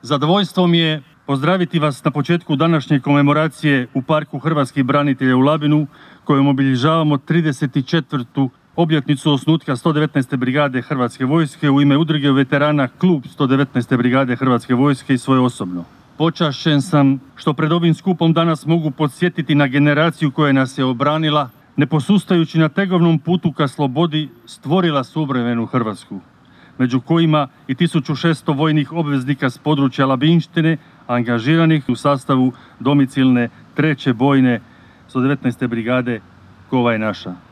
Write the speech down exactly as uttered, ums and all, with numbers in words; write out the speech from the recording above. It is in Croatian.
Zadovoljstvo mi je pozdraviti vas na početku današnje komemoracije u Parku hrvatskih branitelja u Labinu, kojom obilježavamo trideset četvrtu obljetnicu osnutka sto devetnaeste brigade Hrvatske vojske u ime udruge veterana Klub sto devetnaeste brigade Hrvatske vojske i svoje osobno. Počašćen sam što pred ovim skupom danas mogu podsjetiti na generaciju koja nas je obranila, ne posustajući na tegovnom putu ka slobodi, stvorila suvremenu Hrvatsku, među kojima i tisuću šesto vojnih obveznika s područja Labinštine, angažiranih u sastavu domicilne treće bojne sto devetnaeste brigade Kova je naša.